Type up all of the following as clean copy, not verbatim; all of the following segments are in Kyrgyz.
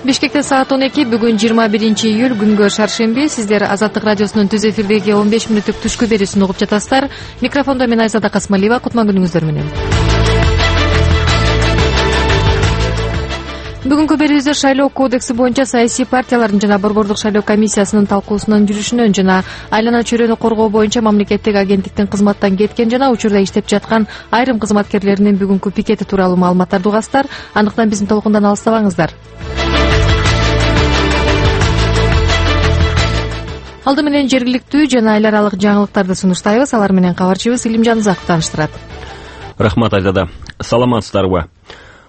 Бишкекте саат 12, бүгүн 21-июль, күнгө шаршемби. Сиздер Азаттык радиосунун түз эфирдеги 15 мүнөттүк түшкү берүүсүн угуп жатасыздар. Микрофондо мен Айзада Касмалиева. Кутман күнүңүздөр менен. Бүгүнкү берүүбүздө шайлоо кодекси боюнча саясий партиялардын жана Борбордук шайлоо комиссиясынын талкуусунун жүрүшүнөн жана айлана чөйрөнү коргоо боюнча мамлекеттик агенттиктин кызматтан кеткен жана учурда иштеп жаткан айрым кызматкерлеринин бүгүнкү пикети тууралуу маалыматтарды угасыздар. Андыктан биздин толкундан алыстабаңыздар. Алды менен жергиликтүү жана эл аралык жаңылыктарды сунуштайбыз. Алар менен кабарчыбыз Илимжан Узаков тааныштырат. Рахмат Айзада. Саламатсыздарбы?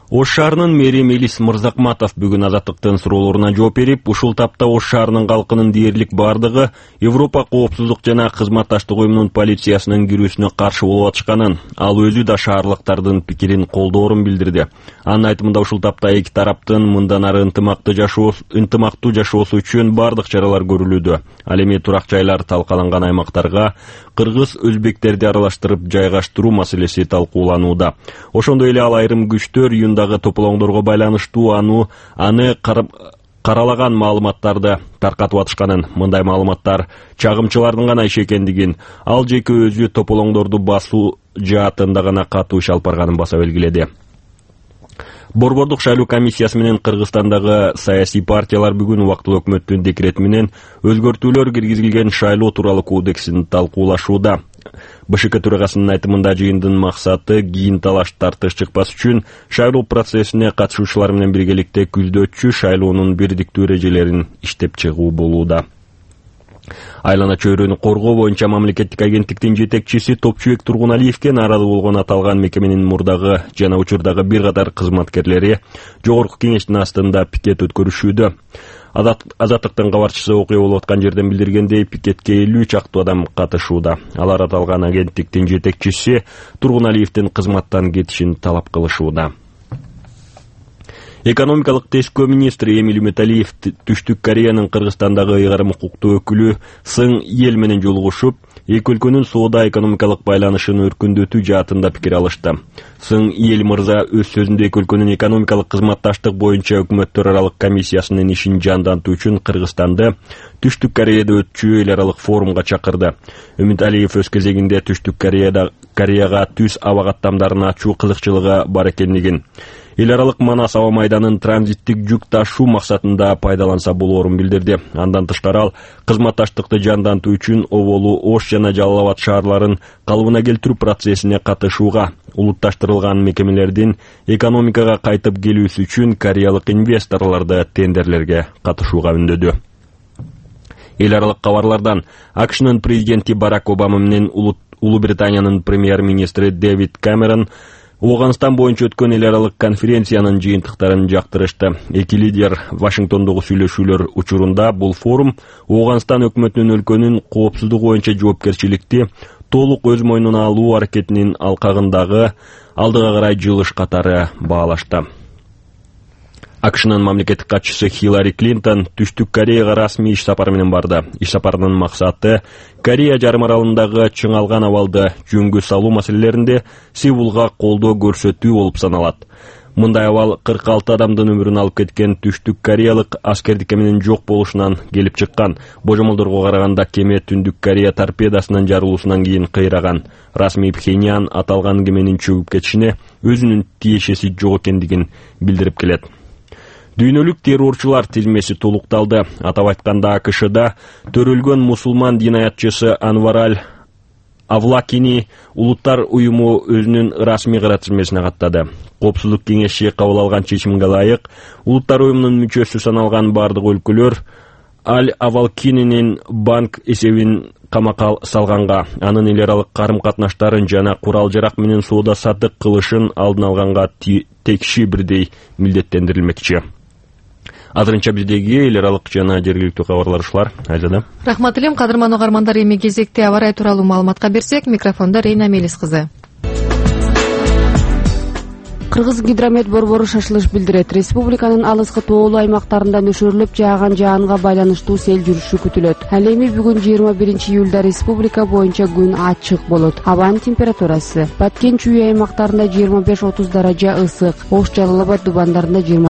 Ош шаарынын мэри Мелис Мырзакматов бүгүн Азаттыктын суроолоруна жооп берип, ушул тапта Ош шаарынын калкынын дээрлик бардыгы Европа коопсуздук жана кызматташтык уюмунун полициясынын кирүүсүнө каршы болуп атышканын, ал өзү да шаарлыктардын пикирин колдоорун билдирди. Анын айтымында ушул тапта эки тараптын мындан ары ынтымактуу жашоосу үчүн бардык чаралар көрүлүүдө. Ал эми турак жайлар талкаланган аймактарга кыргыз өзбектерди аралаштырып жайгаштыруу маселеси талкууланууда. Ошондой эле ал айрым күчтөр июндагы тополоңдорго байланыштуу аны каралаган маалыматтарды таркатып атышканын, мындай маалыматтар чагымчылардын гана иши экендигин, ал жеке өзү тополоңдорду басуу жаатында гана катуу иш алып барганын баса белгиледи. Борбордук шайлоо комиссиясы менен Кыргызстандагы саясий партиялар бүгүн убактылуу өкмөттүн декрети менен өзгөртүүлөр киргизилген шайлоо тууралуу кодексин талкуулашууда. БШК төрагасынын айтымында жыйындын максаты кийин талаш тартыш чыкпас үчүн шайлоо процессине катышуучулар менен биргеликте күздөөчү шайлоонун бирдиктүү эрежелерин иштеп чыгуу болууда. Айлана чөйрөнү коргоо боюнча мамлекеттик агенттиктин жетекчиси Топчубек Тургуналиевке нааразы болгон аталган мекеменин мурдагы жана учурдагы бир катар кызматкерлери жогорку кеңештин астында пикет өткөрүшүүдө. Азаттыктын кабарчысы окуя болуп аткан жерден билдиргендей, пикетке 50 чактуу адам катышууда. Алар аталган агенттиктин жетекчиси Тургуналиевдин кызматтан кетишин талап кылышууда. Экономикалык тескөө министри Эмиль Металиев Түштүк Кореянын Кыргызстандагы ыйгарым укуктуу өкүлү Сың Ел менен жолугушуп, эки өлкөнүн соода-экономикалык байланышын өркүндөтүү жаатында пикир алышты. Сың Ел мырза өз сөзүндө эки өлкөнүн экономикалык кызматташтык боюнча өкмөттөр аралык комиссиясынын ишин жандантуу үчүн Кыргызстанды Түштүк Кореяда өтчү эл аралык форумга чакырды. Металиев өз кезегинде Түштүк Кореяга түз аба каттамдарын ачуу кызыкчылыгы бар экендигин, эл аралык Манас аба майданын транзиттик жүк ташуу максатында пайдаланса болоорун билдирди. Андан тышкары ал кызматташтыкты жандантуу үчүн Оболу, Ош жана Жалал Абад шаарларын калыбына келтирүү процессине катышууга, улутташтырылган мекемелердин экономикага кайтып келүүсү үчүн кореялык инвесторлорду тендерлерге катышууга үндөдү. Эл аралык кабарлардан АКШнын президенти Барак Обама менен Улуу Британиянын премьер-министри Дэвид Камерон Оогандстан боюнча өткөн эл аралык конференциянын жыйынтыктарын жактырышты. Эки лидер Вашингтондогу сүйлөшүүлөр учурунда бул форум Оогандстан өкмөтүнүн өлкөнүн коопсуздугу боюнча жоопкерчиликти толук өз мойнуна алуу аракетинин алкагындагы алдыга карай жылыш катары баалашты. АКШнын мамлекеттик катчысы Хиллари Клинтон Түштүк Кореяга расмий иш сапары менен барды. Иш сапарынын максаты Корея жарым аралындагы чыңалган абалды жөнгө салуу маселелеринде Сеулга колдоо көрсөтүү болуп саналат. Мындай абал 46 адамдын өмүрүн алып кеткен Түштүк Кореялык аскердик кеменин жок болушунан келип чыккан. Божомолдорго караганда кеме Түндүк Корея торпедасынын жарылуусунан кийин кыйраган. Расмий Пхеньян аталган кеменин чөгүп кетишине өзүнүн тиешеси жок экендигин билдирип келет. Дүйнөлүк террорчулар тизмеси толукталды. Атап айтканда, АКШда төрөлгөн мусулман динаятчысы Анвар Аль-Авлакини улуттар уюму өзүнүн расмий кара тизмесине каттады. Коопсуздук кеңеши кабыл алган чечимге ылайык, улуттар уюмунун мүчөсү саналган бардык өлкөлөр Аль-Авлакининин банк эсебин камакка салганга, анын эл аралык карым-катнаштарын жана курал-жарак менен соода саттык кылышын алдын алганга текши бирдей милдеттендирилмекчи. Азырынча биздеги эл аралык жана жергиликтүү кабарлар ушулар. Айзада. Рахмат элем. Кадырман угармандар, эми кезекте аба ырайы тууралуу маалыматка берсек, микрофондо Рейна Мелис кызы. Кыргыз гидромет борбору шашылыш билдирет. Республиканын алыскы тоолуу аймактарында нөшөрлөп жааган жаанга байланыштуу сел жүрүшү күтүлөт. Ал эми бүгүн 21-июлда республика боюнча күн ачык болот. Абанын температурасы Баткен чүй аймактарында 25-30 даража ысык, Ош, Жалал Абад дубандарында